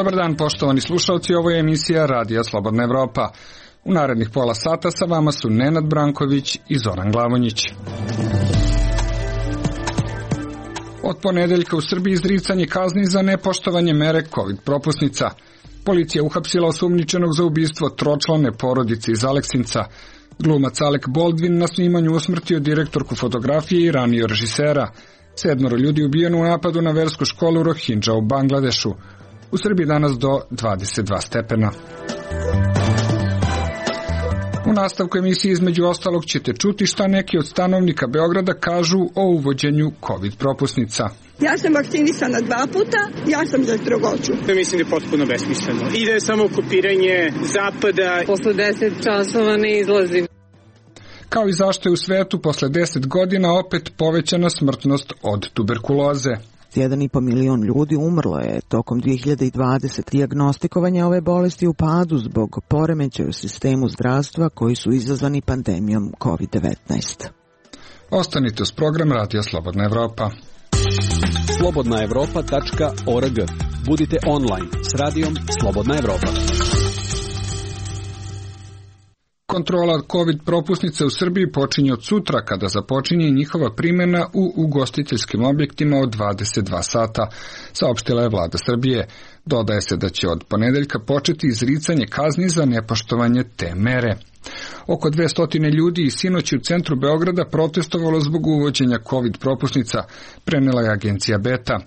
Dobar dan, poštovani slušalci, ovo je emisija Radija Slobodna Evropa. U narednih pola sata sa vama su Nenad Branković i Zoran Glavonjić. Od ponedeljka u Srbiji izricanje kazni za nepoštovanje mere COVID propusnica. Policija uhapsila osumnjičenog za ubistvo tročlane porodice iz Aleksinca. Glumac Alec Baldwin na snimanju usmrtio direktorku fotografije i ranio režisera. 7 ljudi ubijeno u napadu na versku školu Rohingya u Bangladešu. U Srbiji danas do 22 stepena. U nastavku emisije između ostalog ćete čuti šta neki od stanovnika Beograda kažu o uvođenju COVID propusnica. Ja sam vakcinisana 2 puta, ja sam za strogoću. Mislim da je potpuno besmisleno. Ide samo kopiranje zapada. Posle 10 časova ne izlazim. Kao i zašto je u svetu posle 10 godina opet povećana smrtnost od tuberkuloze. 1,5 milion ljudi umrlo je tokom 2020. Dijagnostikovanje ove bolesti u padu zbog poremećaja u sistemu zdravstva koji su izazvani pandemijom COVID-19. Ostanite uz program Radija Slobodna Evropa. slobodnaevropa.org. Budite online s Radijom Slobodna Evropa. Kontrola COVID propusnice u Srbiji počinje od sutra kada započinje njihova primjena u ugostiteljskim objektima od 22 sata, saopštila je vlada Srbije. Dodaje se da će od ponedeljka početi izricanje kazni za nepoštovanje te mere. Oko 200 ljudi i sinoć u centru Beograda protestovalo zbog uvođenja COVID propusnica, prenela je agencija Beta.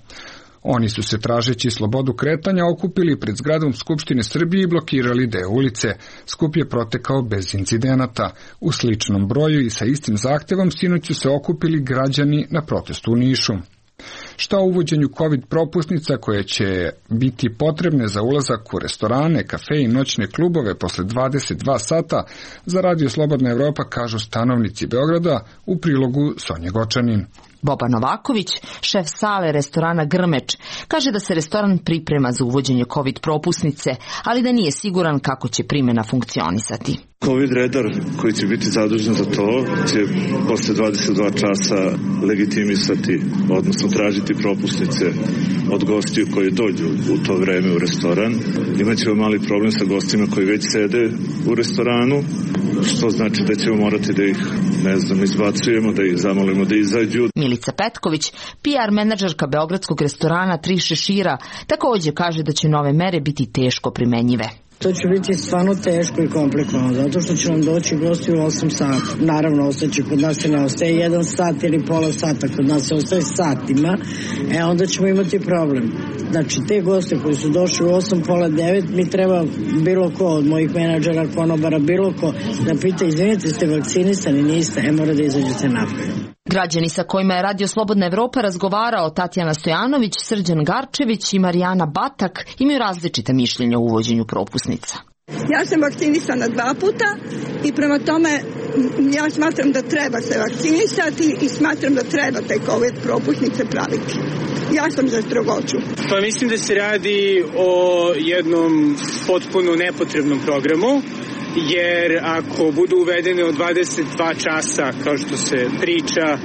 Oni su se tražeći slobodu kretanja okupili pred zgradom Skupštine Srbije i blokirali deo ulice. Skup je protekao bez incidenata. U sličnom broju i sa istim zahtevom sinoć su se okupili građani na protestu u Nišu. Šta o uvođenju COVID propusnica koje će biti potrebne za ulazak u restorane, kafe i noćne klubove posle 22 sata za Radio Slobodna Evropa kažu stanovnici Beograda u prilogu Sonje Gočanin. Boba Novaković, šef sale restorana Grmeč, kaže da se restoran priprema za uvođenje COVID propusnice, ali da nije siguran kako će primjena funkcionisati. COVID redar koji će biti zadužen za to će posle 22 časa legitimisati, odnosno tražiti propusnice od gostiju koji dođu u to vreme u restoran. Imaćemo mali problem sa gostima koji već sede u restoranu, što znači da ćemo morati da ih, izbacujemo, da ih zamolimo da izađu. Milica Petković, PR menadžerka beogradskog restorana Tri šešira, također kaže da će nove mere biti teško primenjive. To će biti stvarno teško i komplikovano, zato što će nam doći gosti u 8 sata. Naravno, ostaće kod nas i ne ostaje 1 sat ili pola sata, kod nas se ostaje satima, onda ćemo imati problem. Znači, te goste koji su došli u 8, pola 9, mi treba bilo ko od mojih menadžera, konobara, bilo ko da pita, izvinite, ste vakcinisani, niste, mora da izađete napred. Građani sa kojima je Radio Slobodna Evropa razgovarao Tatjana Stojanović, Srđan Garčević i Marijana Batak imaju različita mišljenja o uvođenju propusnica. Ja sam vakcinisana 2 puta i prema tome ja smatram da treba se vakcinisati i smatram da treba te COVID propusnice praviti. Ja sam za strogoću. Pa mislim da se radi o jednom potpuno nepotrebnom programu, jer ako budu uvedene od 22 časa, kao što se priča,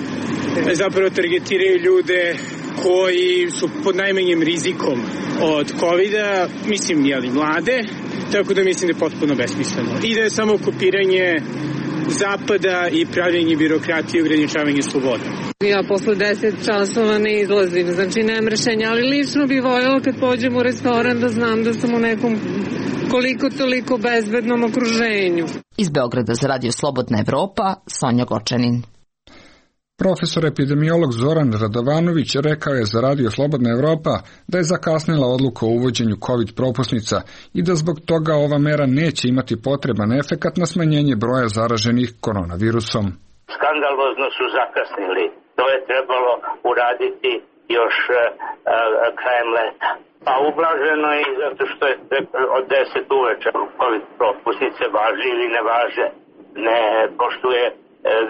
zapravo targetiraju ljude koji su pod najmanjim rizikom od COVID-a, mlade, tako da mislim da je potpuno besmisleno. Ide samo kopiranje zapada i pravljenje birokratije i ograničavanje sloboda. Ja posle 10 časova ne izlazim, znači nemam rešenja, ali lično bih voljela kad pođem u restoran da znam da sam u nekom koliko toliko bezbednom okruženju. Iz Beograda za Radio Slobodna Evropa, Sonja Gočanin. Profesor epidemiolog Zoran Radovanović rekao je za Radio Slobodna Evropa da je zakasnila odluka o uvođenju COVID propusnica i da zbog toga ova mera neće imati potreban efekat na smanjenje broja zaraženih koronavirusom. Skandalozno su zakasnili. To je trebalo uraditi još krajem leta. Pa ublaženo je zato što je od 10 uveče COVID propusnice važe ili ne važe. Ne poštuje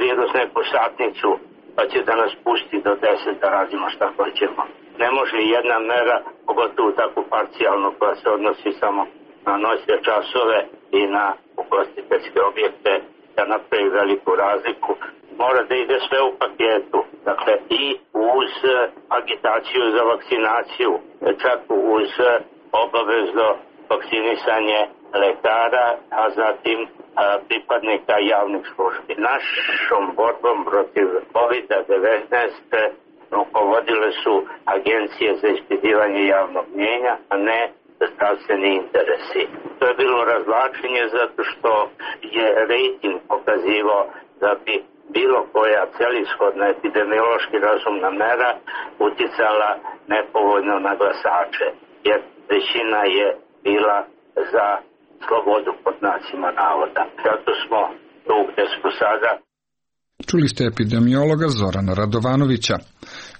virus neku satnicu, pa će da nas pusti do 10 da radimo šta hoćemo. Ne može jedna mera, pogotovo tako parcijalno, koja se odnosi samo na noćne časove i na ugostiteljske objekte, da napravi veliku razliku. Mora da ide sve u paketu, dakle i uz agitaciju za vakcinaciju, čak uz obavezno vakcinisanje lekara, a zatim pripadnika javnih službi. Našom borbom protiv COVID-19 rukovodile su agencije za ispitivanje javnog mnjenja, a ne zdravstveni interesi. To je bilo razvlačenje zato što je rejting pokazivao da bi bilo koja celishodna epidemiološki razumna mera uticala nepovoljno na glasače, jer većina je bila za slobodu pod znacima navoda. Zato smo tu gde smo sada. Čuli ste epidemiologa Zorana Radovanovića.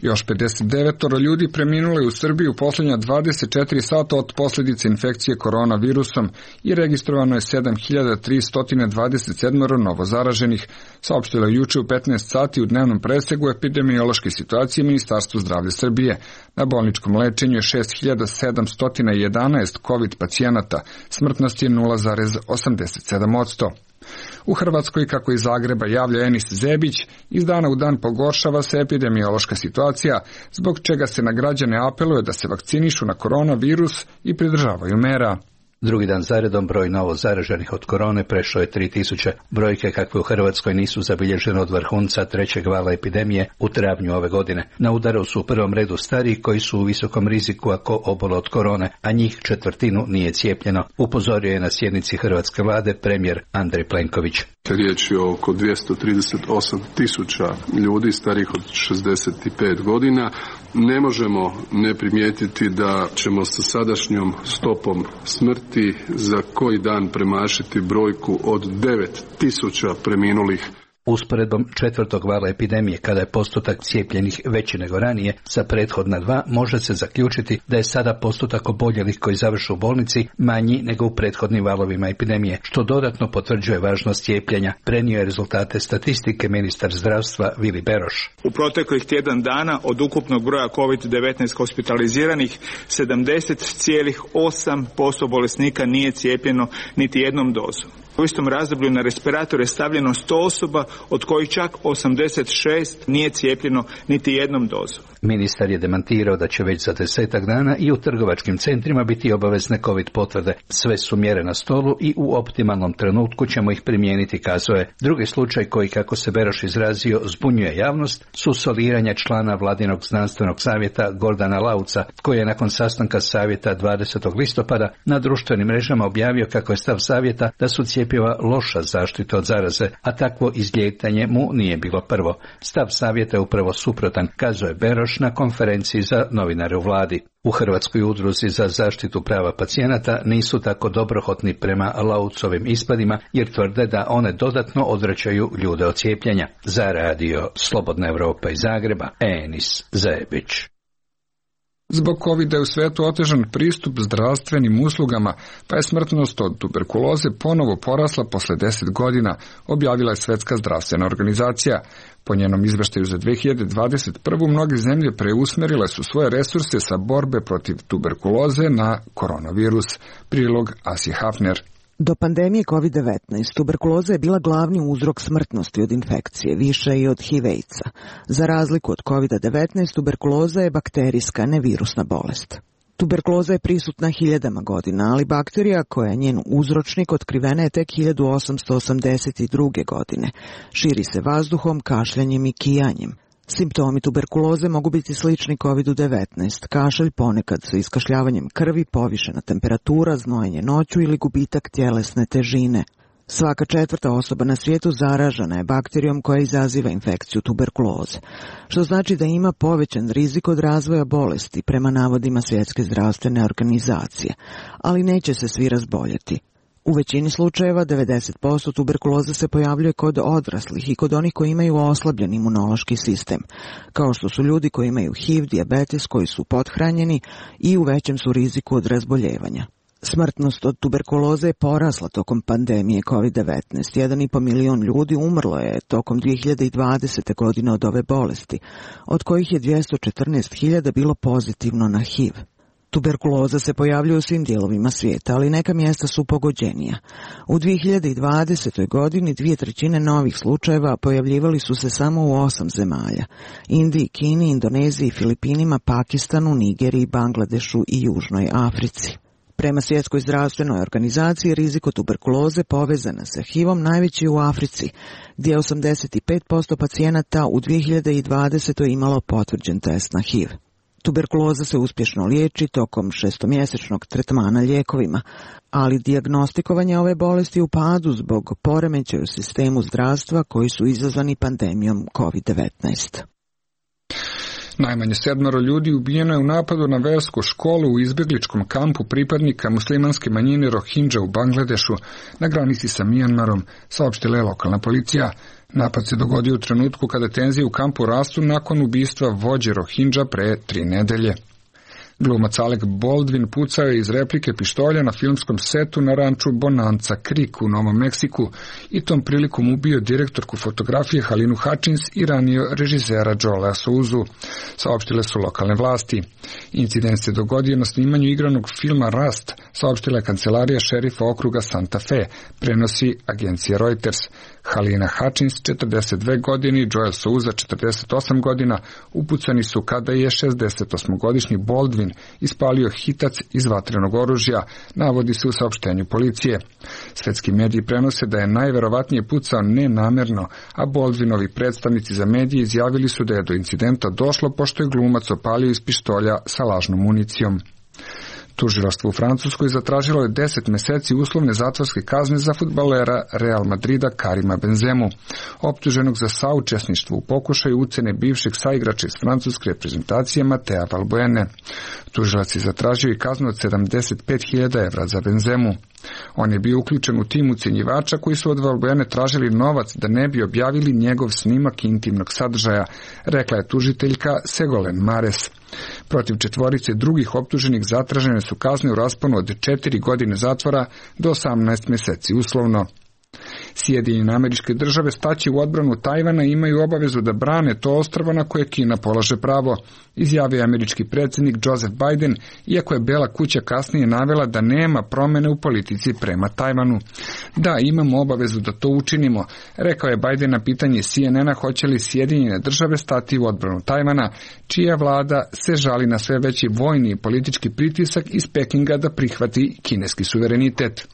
Još 59 ljudi preminulo je u Srbiji u posljednja 24 sata od posljedice infekcije koronavirusom i registrovano je 7327 novo zaraženih, saopštilo je juče u 15 sati u dnevnom presegu epidemiološke situacije Ministarstva zdravlja Srbije. Na bolničkom lečenju je 6711 COVID pacijenata, smrtnost je 0,87%. U Hrvatskoj, kako iz Zagreba javlja Enis Zebić, iz dana u dan pogoršava se epidemiološka situacija, zbog čega se na građane apeluje da se vakcinišu na koronavirus i pridržavaju mera. Drugi dan zaredom broj novo zaraženih od korone prešao je 3000. Brojke kakve u Hrvatskoj nisu zabilježene od vrhunca trećeg vala epidemije u travnju ove godine. Na udaru su u prvom redu stariji koji su u visokom riziku ako obole od korone, a njih 1/4 nije cijepljeno, upozorio je na sjednici hrvatske vlade premijer Andrej Plenković. Riječ je o oko 238.000 ljudi starijih od 65 godina. Ne možemo ne primijetiti da ćemo sa sadašnjom stopom smrti za koji dan premašiti brojku od 9.000 preminulih. Usporedbom 4. vala epidemije, kada je postotak cijepljenih veći nego ranije, sa prethodna 2, može se zaključiti da je sada postotak oboljelih koji završe u bolnici manji nego u prethodnim valovima epidemije, što dodatno potvrđuje važnost cijepljenja. Prenio je rezultate statistike ministar zdravstva Vili Beroš. U proteklih tjedan dana od ukupnog broja COVID-19 hospitaliziranih 70,8% bolesnika nije cijepljeno niti jednom dozom. U istom razdoblju na respirator je stavljeno 100 osoba, od kojih čak 86 nije cijepljeno niti jednom dozom. Ministar je demantirao da će već za 10 dana i u trgovačkim centrima biti obavezne COVID potvrde. Sve su mjere na stolu i u optimalnom trenutku ćemo ih primijeniti, kazao je. Drugi slučaj koji, kako se Beroš izrazio, zbunjuje javnost su soliranja člana Vladinog znanstvenog savjeta Gordana Lauca, koji je nakon sastanka savjeta 20. listopada na društvenim mrežama objavio kako je stav savjeta da su cjepiva loša zaštita od zaraze, a takvo izlijetanje mu nije bilo prvo. Stav savjeta je upravo suprotan, kazao je Beroš na konferenciji za novinare u vladi. U Hrvatskoj udruzi za zaštitu prava pacijenata nisu tako dobrohotni prema Laucovim ispadima, jer tvrde da one dodatno odvraćaju ljude od cijepljenja. Za radio Slobodna Evropa iz Zagreba, Enis Zebić. Zbog COVID-a je u svijetu otežan pristup zdravstvenim uslugama, pa je smrtnost od tuberkuloze ponovo porasla posle 10 godina, objavila je Svjetska zdravstvena organizacija. Po njenom izveštaju za 2021. mnoge zemlje preusmerile su svoje resurse sa borbe protiv tuberkuloze na koronavirus. Prilog Asi Hafner. Do pandemije COVID-19 tuberkuloza je bila glavni uzrok smrtnosti od infekcije, više i od HIV-a. Za razliku od COVID-19, tuberkuloza je bakterijska, ne virusna bolest. Tuberkuloza je prisutna hiljadama godina, ali bakterija koja je njen uzročnik otkrivena je tek 1882. godine. Širi se vazduhom, kašljanjem i kijanjem. Simptomi tuberkuloze mogu biti slični COVID-19, kašalj ponekad sa iskašljavanjem krvi, povišena temperatura, znojenje noću ili gubitak tjelesne težine. Svaka 4. osoba na svijetu zaražena je bakterijom koja izaziva infekciju tuberkuloze, što znači da ima povećan rizik od razvoja bolesti prema navodima Svjetske zdravstvene organizacije, ali neće se svi razboljeti. U većini slučajeva 90% tuberkuloze se pojavljuje kod odraslih i kod onih koji imaju oslabljen imunološki sistem, kao što su ljudi koji imaju HIV, dijabetes, koji su pothranjeni i u većem su riziku od razboljevanja. Smrtnost od tuberkuloze je porasla tokom pandemije COVID-19. 1,5 milion ljudi umrlo je tokom 2020. godine od ove bolesti, od kojih je 214.000 bilo pozitivno na HIV. Tuberkuloza se pojavljuje u svim dijelovima svijeta, ali neka mjesta su pogođenija. U 2020. godini 2/3 novih slučajeva pojavljivali su se samo u 8 zemalja: Indiji, Kini, Indoneziji, Filipinima, Pakistanu, Nigeriji, Bangladešu i Južnoj Africi. Prema Svjetskoj zdravstvenoj organizaciji, rizik od tuberkuloze povezana sa HIV-om najveći u Africi, gdje je 85% pacijenata u 2020. imalo potvrđen test na HIV. Tuberkuloza se uspješno liječi tokom 6-mjesečnog tretmana lijekovima, ali dijagnostikovanje ove bolesti u padu zbog poremećaja u sistemu zdravstva koji su izazvani pandemijom COVID-19. Najmanje 7 ljudi ubijeno je u napadu na versku školu u izbjegličkom kampu pripadnika muslimanske manjine Rohingya u Bangladešu na granici sa Mijanmarom, saopštila je lokalna policija. Napad se dogodio u trenutku kada tenzije u kampu rastu nakon ubistva vođe Rohingya pre 3 nedelje. Glumac Alec Baldwin pucao je iz replike pištolja na filmskom setu na ranču Bonanza Creek u Novom Meksiku i tom prilikom ubio direktorku fotografije Halinu Hutchins i ranio režisera Joela Souzu, saopštile su lokalne vlasti. Incident se dogodio na snimanju igranog filma Rust, saopštila je kancelarija šerifa okruga Santa Fe, prenosi agencija Reuters. Halina Hutchins, 42 godine, i Joel Souza, 48 godina, upucani su kada je 68-godišnji Baldwin ispalio hitac iz vatrenog oružja, navodi se u saopštenju policije. Svetski mediji prenose da je najverovatnije pucao nenamerno, a Baldwinovi predstavnici za medije izjavili su da je do incidenta došlo pošto je glumac opalio iz pištolja sa lažnom municijom. Tužilaštvo u Francuskoj zatražilo je 10 mjeseci uslovne zatvorske kazne za fudbalera Real Madrida Karima Benzemu, optuženog za saučesništvo u pokušaju ucene bivšeg saigrača iz francuske reprezentacije Matea Valbuene. Tužilac je zatražio i kaznu od 75.000 evra za Benzemu. On je bio uključen u tim ucenjivača koji su od Valbuene tražili novac da ne bi objavili njegov snimak intimnog sadržaja, rekla je tužiteljka Ségolène Mares. Protiv 4 drugih optuženih zatražene su kazne u rasponu od 4 godine zatvora do 18 mjeseci uslovno. Sjedinjene Američke Države staći u odbranu Tajvana i imaju obavezu da brane to ostrvo na koje Kina polaže pravo, izjavio američki predsjednik Joseph Biden, iako je Bela kuća kasnije navela da nema promjene u politici prema Tajvanu. Da, imamo obavezu da to učinimo, rekao je Biden na pitanje CNN-a hoće li Sjedinjene Države stati u odbranu Tajvana, čija vlada se žali na sve veći vojni i politički pritisak iz Pekinga da prihvati kineski suverenitet.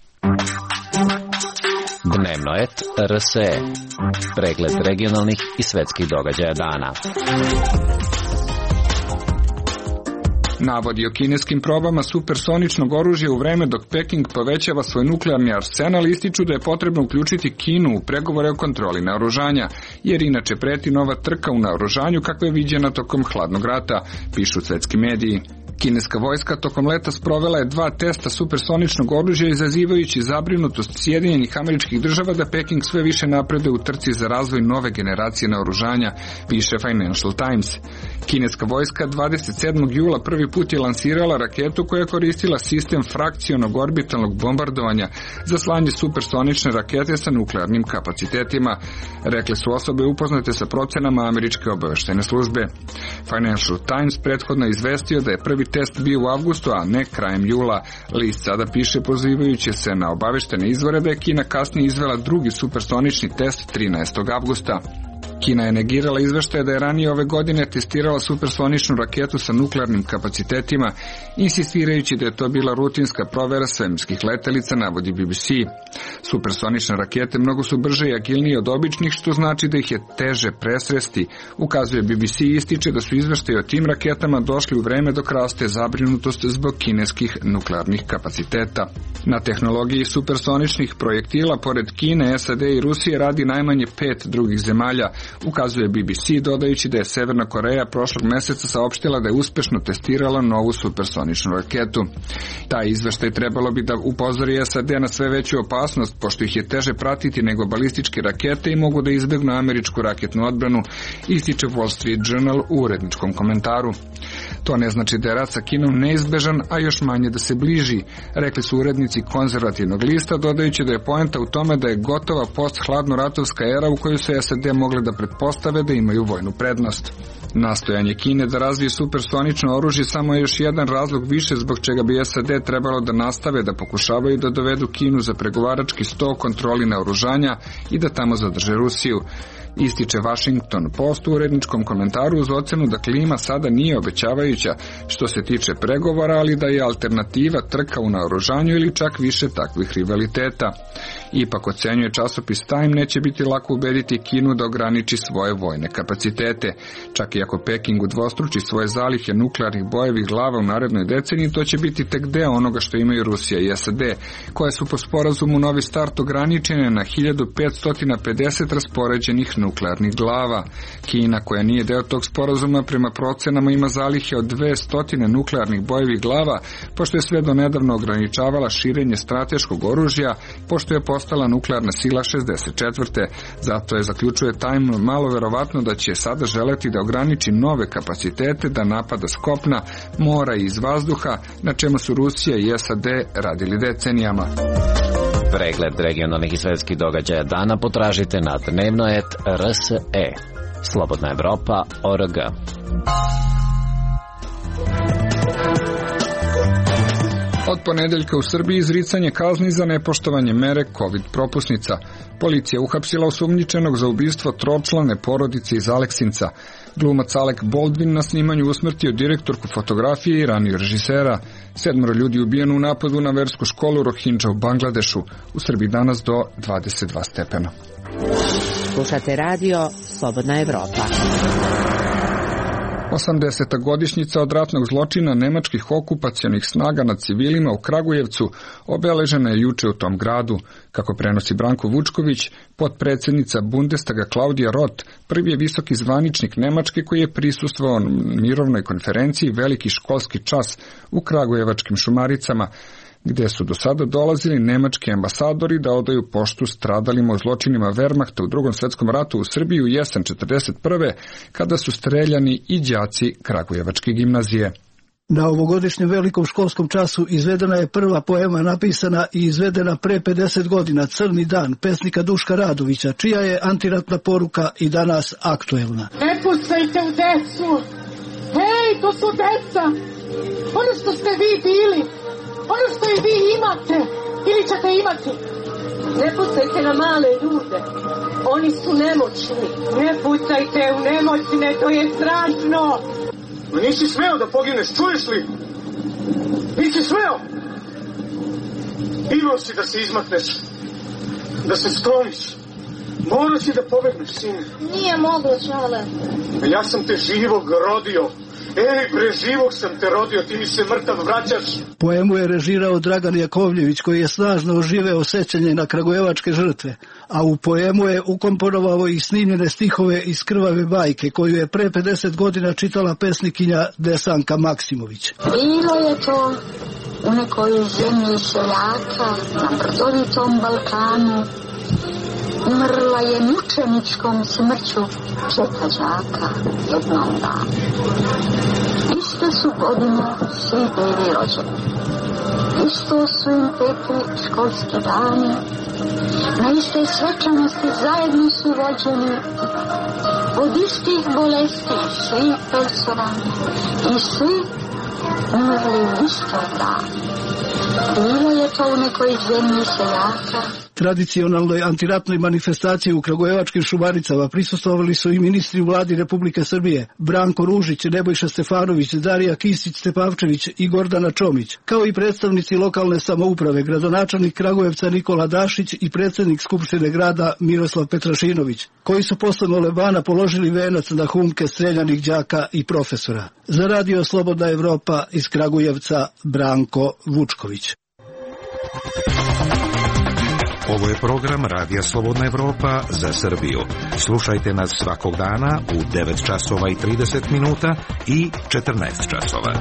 Dnevno et RSE. Pregled regionalnih i svetskih događaja dana. Navodi o kineskim probama supersoničnog oružja u vreme dok Peking povećava svoj nuklearni arsenal ističu da je potrebno uključiti Kinu u pregovore o kontroli naoružanja, jer inače preti nova trka u naoružanju kakva je viđena tokom hladnog rata, pišu svetski mediji. Kineska vojska tokom leta sprovela je 2 testa supersoničnog oružja izazivajući zabrinutost Sjedinjenih Američkih Država da Peking sve više napreduje u trci za razvoj nove generacije naoružanja, piše Financial Times. Kineska vojska 27. jula prvi put je lansirala raketu koja je koristila sistem frakcionog orbitalnog bombardovanja za slanje supersonične rakete sa nuklearnim kapacitetima, rekle su osobe upoznate sa procenama američke obavještajne službe. Financial Times prethodno izvestio da je prvi test bio u avgustu, a ne krajem jula. List sada piše pozivajući se na obavještene izvore da je Kina kasnije izvela drugi supersonični test 13. avgusta. Kina je negirala izveštaje da je ranije ove godine testirala supersoničnu raketu sa nuklearnim kapacitetima, insistirajući da je to bila rutinska provera svemirskih letelica, navodi BBC. Supersonične rakete mnogo su brže i agilnije od običnih, što znači da ih je teže presresti, ukazuje BBC i ističe da su izveštaji o tim raketama došli u vreme dok raste zabrinutost zbog kineskih nuklearnih kapaciteta. Na tehnologiji supersoničnih projektila pored Kine, SAD i Rusije radi najmanje 5 drugih zemalja, ukazuje BBC, dodajući da je Severna Koreja prošlog mjeseca saopštila da je uspješno testirala novu supersoničnu raketu. Taj izveštaj trebalo bi da upozori SAD na sve veću opasnost, pošto ih je teže pratiti nego balističke rakete i mogu da izbjegnu američku raketnu odbranu, ističe Wall Street Journal u uredničkom komentaru. To ne znači da je rat sa Kinom neizbežan, a još manje da se bliži, rekli su urednici konzervativnog lista, dodajući da je poenta u tome da je gotova post-hladnoratovska era u kojoj se SAD mogle da pretpostave da imaju vojnu prednost. Nastojanje Kine da razvije supersonično oružje samo je još jedan razlog više zbog čega bi SAD trebalo da nastave da pokušavaju da dovedu Kinu za pregovarački sto kontroli naoružanja i da tamo zadrže Rusiju. Ističe Washington Post u uredničkom komentaru uz ocenu da klima sada nije obećavajuća što se tiče pregovora, ali da je alternativa trka u naoružanju ili čak više takvih rivaliteta. Ipak, ocenjuje časopis Time, neće biti lako ubediti Kinu da ograniči svoje vojne kapacitete. Čak i ako Peking udvostruči svoje zalihe nuklearnih bojevih glava u narednoj deceniji, to će biti tek deo onoga što imaju Rusija i SAD, koje su po sporazumu Novi start ograničene na 1550 raspoređenih nuklearnih glava. Kina, koja nije deo tog sporazuma, prema procenama ima zalihe od 200 nuklearnih bojevih glava, pošto je sve do nedavno ograničavala širenje strateškog oružja, pošto je postala nuklearna sila 64. Zato je, zaključuje Time, malo verovatno da će sada želeti da ograniči nove kapacitete da napada s kopna, mora i iz vazduha, na čemu su Rusija i SAD radili decenijama. Pregled regionalnih i svetskih događaja dana potražite na dnevnoet.rse. Slobodna Evropa.org. Od ponedeljka u Srbiji izricanje kazni za nepoštovanje mere COVID propusnica. Policija uhapsila osumnjičenog za ubistvo tročlane porodice iz Aleksinca. Glumac Alec Baldwin na snimanju usmrtio direktorku fotografije i ranije režisera. 7 ljudi ubijeno u napadu na versku školu Rohingya u Bangladešu. U Srbiji danas do 22 stepena. Slušate radio Slobodna Evropa. 80. godišnjica od ratnog zločina nemačkih okupacionih snaga nad civilima u Kragujevcu obeležena je juče u tom gradu. Kako prenosi Branko Vučković, potpredsjednica Bundestaga Klaudija Roth, prvi je visoki zvaničnik Nemačke koji je prisustvovao mirovnoj konferenciji Veliki školski čas u Kragujevačkim Šumaricama, gdje su do sada dolazili nemački ambasadori da odaju poštu stradalima u zločinima Wehrmachta u Drugom svjetskom ratu u Srbiji u jesen 1941. kada su streljani i đaci Kragujevačke gimnazije. Na ovogodišnjem velikom školskom času izvedena je prva poema napisana i izvedena pre 50 godina, Crni dan, pesnika Duška Radovića, čija je antiratna poruka i danas aktuelna. Ne pucajte u decu! Hej, to su deca! Ono što ste vi bili! Ono što i vi imate, ili ćete imati. Ne pucajte na male ljude, oni su nemoćni. Ne pucajte u nemoćne, to je strašno. Ma nisi smeo da pogineš, čuješ li? Nisi smeo. Imao si da se izmakneš, da se skloniš. Morao si da pobegneš, sine. Nije moglo, Čale. Ja sam te živog rodio. Ej, bre, živog sam te rodio, ti mi se mrtav vraćaš. Poemu je režirao Dragan Jakovljević, koji je snažno oživeo sećanje na kragujevačke žrtve, a u poemu je ukomponovao i snimljene stihove iz Krvave bajke, koju je pre 50 godina čitala pesnikinja Desanka Maksimović. Bilo je to u nekoj zemlji seljaka na brdovitom Balkanu. Umrla je mučeničkom smrću 4 đaka jednog dana. Iste su godine svi bili rođeni. Isto su im tekli školski dani. Na iste svečanosti zajedno su vođeni. Od istih bolesti svi personalni i svi umrli u istog dana. Bilo je to u nekoj zemlji seljaka. Tradicionalnoj antiratnoj manifestaciji u Kragujevačkim Šumaricama prisustvovali su i ministri u vladi Republike Srbije, Branko Ružić, Nebojša Stefanović, Darija Kisić-Tepavčević i Gordana Čomić, kao i predstavnici lokalne samouprave, gradonačelnik Kragujevca Nikola Dašić i predsjednik Skupštine grada Miroslav Petrašinović, koji su posle molebana položili venac na humke streljanih đaka i profesora. Za radio Slobodna Evropa iz Kragujevca Branko Vučković. Ovo je program Radija Slobodna Evropa za Srbiju. Slušajte nas svakog dana u 9 časova i 30 minuta i 14 časova.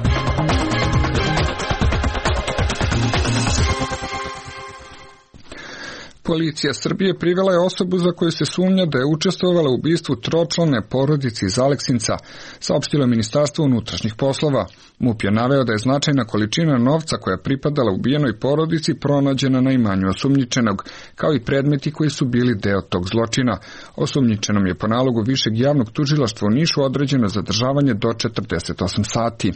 Policija Srbije privela je osobu za koju se sumnja da je učestvovala u ubistvu tročlane porodice iz Aleksinca, saopštilo Ministarstvo unutrašnjih poslova. MUP je naveo da je značajna količina novca koja je pripadala ubijenoj porodici pronađena na imanju osumnjičenog, kao i predmeti koji su bili deo tog zločina. Osumnjičenom je po nalogu Višeg javnog tužilaštva u Nišu određeno zadržavanje do 48 sati.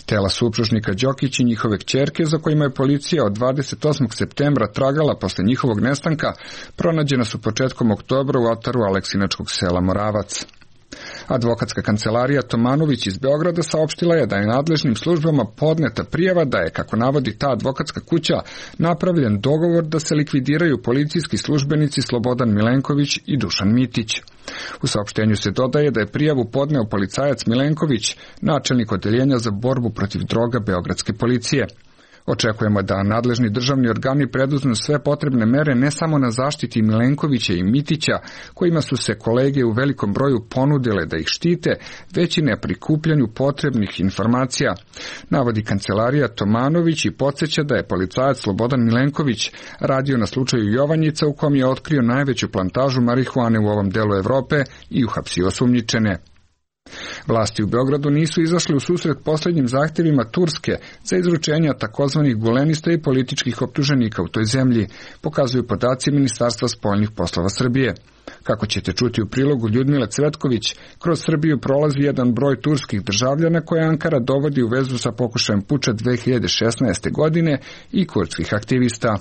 Tela supružnika Đokić i njihove kćerke, za kojima je policija od 28. septembra tragala posle njihovog nestanka, pronađena su početkom oktobra u ataru aleksinačkog sela Moravac. Advokatska kancelarija Tomanović iz Beograda saopštila je da je nadležnim službama podneta prijava da je, kako navodi ta advokatska kuća, napravljen dogovor da se likvidiraju policijski službenici Slobodan Milenković i Dušan Mitić. U saopštenju se dodaje da je prijavu podneo policajac Milenković, načelnik odeljenja za borbu protiv droga Beogradske policije. Očekujemo da nadležni državni organi preduzmu sve potrebne mere ne samo na zaštiti Milenkovića i Mitića, kojima su se kolege u velikom broju ponudile da ih štite, već i na prikupljanju potrebnih informacija, navodi kancelarija Tomanović i podsjeća da je policajac Slobodan Milenković radio na slučaju Jovanjica u kom je otkrio najveću plantažu marihuane u ovom delu Evrope i uhapsio osumnjičene. Vlasti u Beogradu nisu izašli u susret posljednjim zahtjevima Turske za izručenje takozvanih gulenista i političkih optuženika u toj zemlji, pokazuju podaci Ministarstva spoljnih poslova Srbije. Kako ćete čuti u prilogu Ljudmile Cvetković, kroz Srbiju prolazi jedan broj turskih državljana koje Ankara dovodi u vezu sa pokušajem puča 2016. godine i kurdskih aktivista.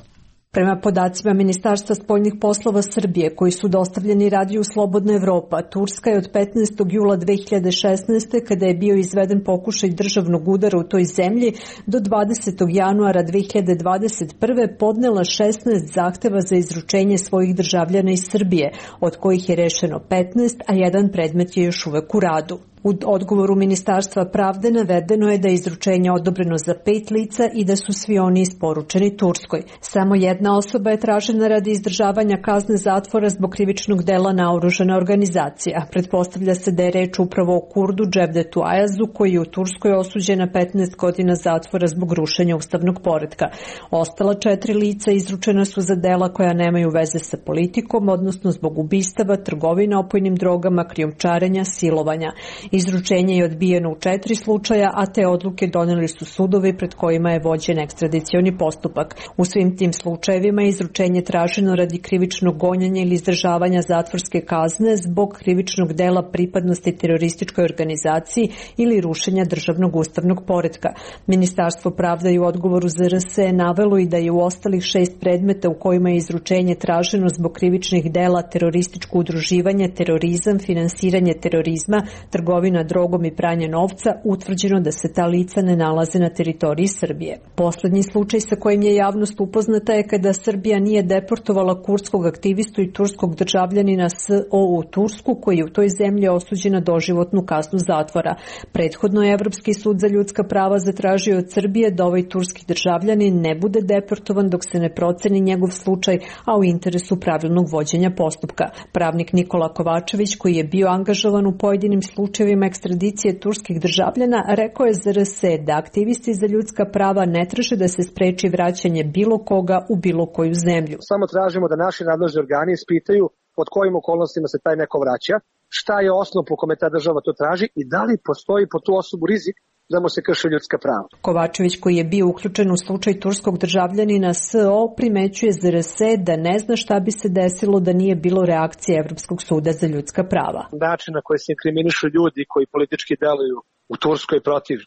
Prema podacima Ministarstva spoljnih poslova Srbije, koji su dostavljeni Radiju Slobodna Evropa, Turska je od 15. jula 2016. kada je bio izveden pokušaj državnog udara u toj zemlji, do 20. januara 2021. podnela 16 zahteva za izručenje svojih državljana iz Srbije, od kojih je rešeno 15, a jedan predmet je još uvek u radu. U odgovoru Ministarstva pravde navedeno je da je izručenje odobreno za 5 lica i da su svi oni isporučeni Turskoj. Samo jedna osoba je tražena radi izdržavanja kazne zatvora zbog krivičnog dela naoružana organizacija. Pretpostavlja se da je reč upravo o Kurdu Cevdetu Ayazu, koji je u Turskoj osuđen na 15 godina zatvora zbog rušenja ustavnog poretka. Ostala 4 lica izručena su za dela koja nemaju veze sa politikom, odnosno zbog ubistava, trgovine opojnim drogama, krijumčarenja, silovanja. Izručenje je odbijeno u 4 slučaja, a te odluke doneli su sudovi pred kojima je vođen ekstradicioni postupak. U svim tim slučajevima je izručenje traženo radi krivičnog gonjenja ili izdržavanja zatvorske kazne zbog krivičnog dela pripadnosti terorističkoj organizaciji ili rušenja državnog ustavnog poretka. Ministarstvo pravde je u odgovoru za RS navelo i da je u ostalih 6 predmeta u kojima je izručenje traženo zbog krivičnih dela terorističko udruživanje, terorizam, finansiranje terorizma, trgovina drogom i pranje novca, utvrđeno da se ta lica ne nalaze na teritoriji Srbije. Poslednji slučaj sa kojim je javnost upoznata je kada Srbija nije deportovala kurdskog aktivistu i turskog državljanina SO u Tursku, koji je u toj zemlji osuđen na doživotnu kaznu zatvora. Prethodno je Evropski sud za ljudska prava zatražio od Srbije da ovaj turski državljanin ne bude deportovan dok se ne proceni njegov slučaj, a u interesu pravilnog vođenja postupka. Pravnik Nikola Kovačević, koji je bio angažovan u pojedinim slučajevima ekstradicije turskih državljana, rekao je za RS da aktivisti za ljudska prava ne traže da se spreči vraćanje bilo koga u bilo koju zemlju. Samo tražimo da naši nadležni organi ispitaju pod kojim okolnostima se taj neko vraća, šta je osnov po kome ta država to traži i da li postoji po tu osobu rizik da mu se krše ljudska prava. Kovačević, koji je bio uključen u slučaj turskog državljanina SO, primećuje za RS da ne zna šta bi se desilo da nije bilo reakcije Evropskog suda za ljudska prava. Način na koji se inkriminišu ljudi koji politički deluju u Turskoj protiv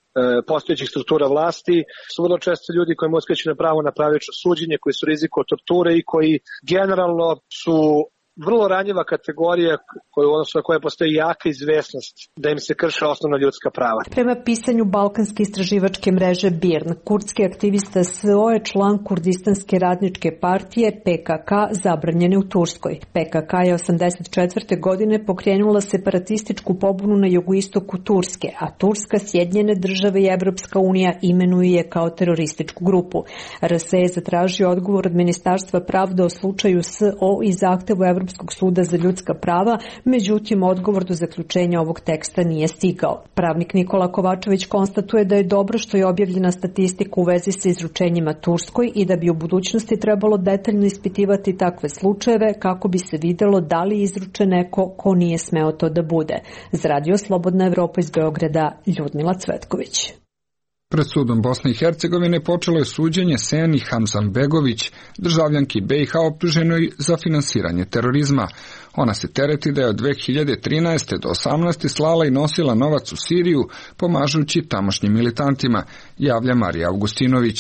postojećih struktura vlasti su vrlo često ljudi koji mu uskraćuju na pravo na pravično suđenje, koji su riziku od torture i koji generalno su vrlo ranjiva kategorija odnosno koja postoji jaka izvesnost da im se krše osnovna ljudska prava. Prema pisanju Balkanske istraživačke mreže BIRN, kurdski aktivista SO je član Kurdistanske radničke partije PKK zabranjene u Turskoj. PKK je 1984. godine pokrenula separatističku pobunu na jugoistoku Turske, a Turska, Sjedinjene države i Evropska unija imenuju je kao terorističku grupu. RS je zatražio odgovor od Ministarstva pravde o slučaju SO i zahtevu Evropske Evropskog suda za ljudska prava, međutim odgovor do zaključenja ovog teksta nije stigao. Pravnik Nikola Kovačević konstatuje da je dobro što je objavljena statistika u vezi sa izručenjima Turskoj i da bi u budućnosti trebalo detaljno ispitivati takve slučajeve kako bi se videlo da li izruče neko ko nije smeo to da bude. Za Radio Slobodna Evropa iz Beograda, Ljudmila Cvetković. Pred sudom Bosne i Hercegovine počelo je suđenje Seni Hamzanbegović, državljanki BiH optuženoj za finansiranje terorizma. Ona se tereti da je od 2013. do 2018. slala i nosila novac u Siriju, pomažući tamošnjim militantima, javlja Marija Augustinović.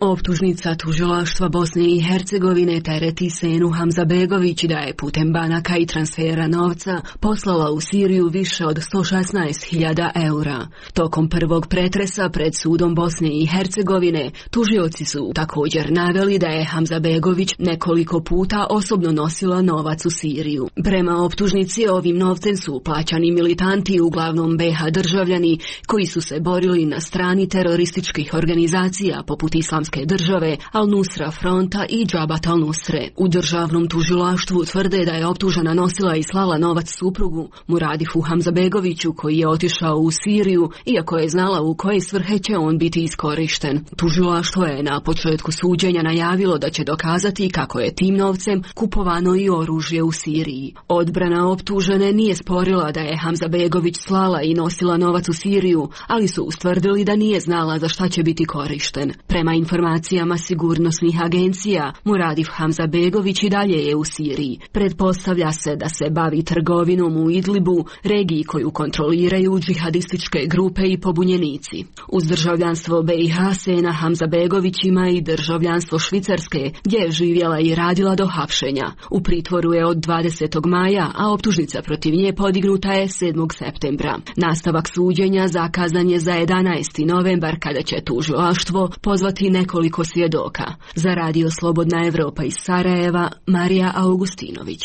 Optužnica tužilaštva Bosne i Hercegovine tereti Senu Hamzanbegović da je putem banaka i transfera novca poslala u Siriju više od 116.000 eura. Tokom prvog pretresa pred sudom Bosne i Hercegovine tužioci su također naveli da je Hamzanbegović nekoliko puta osobno nosila novac u Siriju. Prema optužnici ovim novcem su plaćani militanti, uglavnom BiH državljani, koji su se borili na strani terorističkih organizacija poput Islamske države, Al-Nusra fronta i Džabat al-Nusre. U državnom tužilaštvu tvrde da je optužena nosila i slala novac suprugu Muradifu Hamzanbegoviću koji je otišao u Siriju, iako je znala u koje svrhe će on biti iskorišten. Tužilaštvo je na početku suđenja najavilo da će dokazati kako je tim novcem kupovano i oružje u Siriji. Odbrana optužene nije sporila da je Hamzanbegović slala i nosila novac u Siriju, ali su ustvrdili da nije znala za šta će biti korišten. Prema informacijama sigurnosnih agencija, Muradif Hamzanbegović i dalje je u Siriji. Pretpostavlja se da se bavi trgovinom u Idlibu, regiji koju kontroliraju džihadističke grupe i pobunjenici. Uz državljanstvo BiH Sena Hamzanbegović ima i državljanstvo Švicarske, gdje je živjela i radila do hapšenja. U pritvoru je od 20. maja, a optužnica protiv nje podignuta je 7. septembra. Nastavak suđenja zakazan je za 11. novembar kada će tužilaštvo pozvati nekoliko svjedoka. Za Radio Slobodna Evropa iz Sarajeva, Marija Augustinović.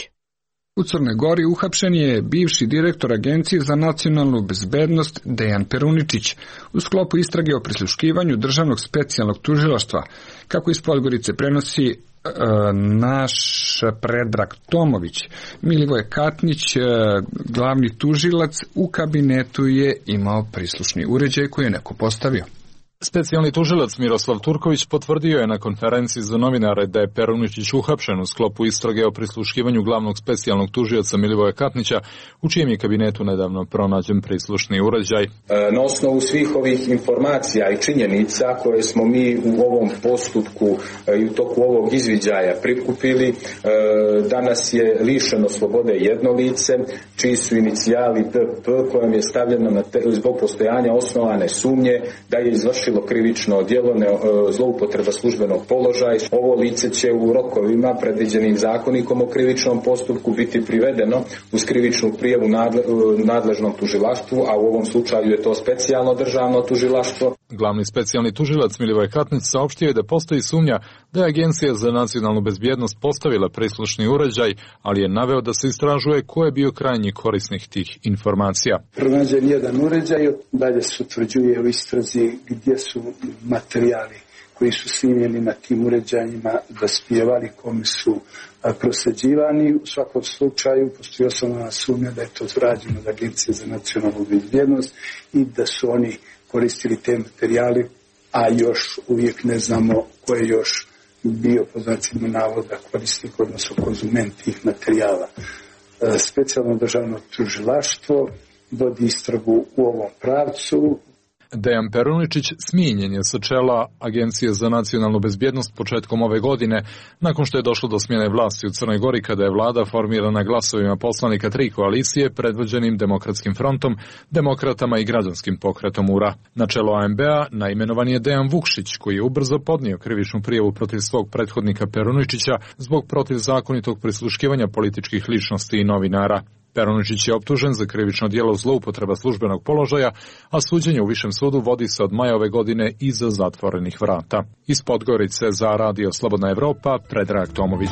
U Crnoj Gori uhapšen je bivši direktor Agencije za nacionalnu bezbednost Dejan Peruničić u sklopu istrage o prisluškivanju državnog specijalnog tužilaštva, kako iz Podgorice prenosi naš Predrag Tomović. Milivoje Katnić, glavni tužilac, u kabinetu je imao prislušni uređaj koji je neko postavio. Specijalni tužilac Miroslav Turković potvrdio je na konferenciji za novinare da je Peruničić uhapšen u sklopu istrage o prisluškivanju glavnog specijalnog tužioca Milivoja Katnića, u čijem je kabinetu nedavno pronađen prislušni uređaj. Na osnovu svih ovih informacija i činjenica koje smo mi u ovom postupku i u toku ovog izviđaja prikupili, danas je lišeno slobode jedno lice, čiji su inicijali DP, kojem je stavljeno zbog postojanja osnovane sumnje da je izvršilo krivično djelo zloupotreba službenog položaja. Ovo lice će u rokovima predviđenim zakonikom o krivičnom postupku biti privedeno uz krivičnu prijavu nadležnom tužilaštvu, a u ovom slučaju je to specijalno državno tužilaštvo. Glavni specijalni tužilac Milivoj Katnić saopštio je da postoji sumnja da je Agencija za nacionalnu bezbjednost postavila prislušni uređaj, ali je naveo da se istražuje ko je bio krajnji korisnik tih informacija. Pronađen jedan uređaj, dalje se utvrđuje u istrazi gdje su materijali koji su snimljeni na tim uređajima dospijevali, kome su prosljeđivani. U svakom slučaju postoji osnovna sumnja da je to rađeno od Agencije za nacionalnu bezbjednost i da su oni koristili te materijali, a još uvijek ne znamo ko je još bio po znacima navoda korisnik, odnosno konzument tih materijala. Specijalno državno tužilaštvo vodi istragu u ovom pravcu. Dejan Peruničić smijenjen je sa čela Agencije za nacionalnu bezbjednost početkom ove godine, nakon što je došlo do smjene vlasti u Crnoj Gori kada je vlada formirana glasovima poslanika tri koalicije predvođenim Demokratskim frontom, Demokratama i Građanskim pokretom URA. Na čelo ANB-a naimenovan je Dejan Vukšić, koji je ubrzo podnio krivičnu prijavu protiv svog prethodnika Peruničića zbog protivzakonitog prisluškivanja političkih ličnosti i novinara. Peruničić je optužen za krivično djelo zloupotreba službenog položaja, a suđenje u Višem sudu vodi se od maja ove godine iza zatvorenih vrata. Iz Podgorice za Radio Slobodna Evropa, Predrag Tomović.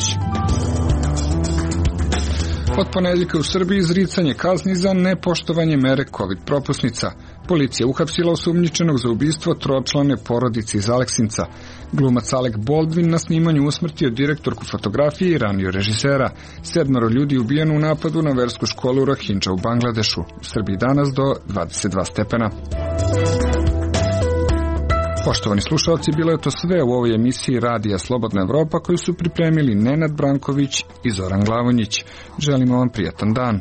Od ponedjeljka u Srbiji izricanje kazni za nepoštovanje mere COVID propusnica. Policija uhapsila osumnjičenog za ubistvo tročlane porodice iz Aleksinca. Glumac Alec Baldwin na snimanju usmrtio direktorku fotografije i ranio režisera. 7 ljudi ubijeno u napadu na versku školu Rohingya u Bangladešu. U Srbiji danas do 22 stepena. Poštovani slušalci, bilo je to sve u ovoj emisiji Radija Slobodna Evropa koju su pripremili Nenad Branković i Zoran Glavonjić. Želimo vam prijatan dan.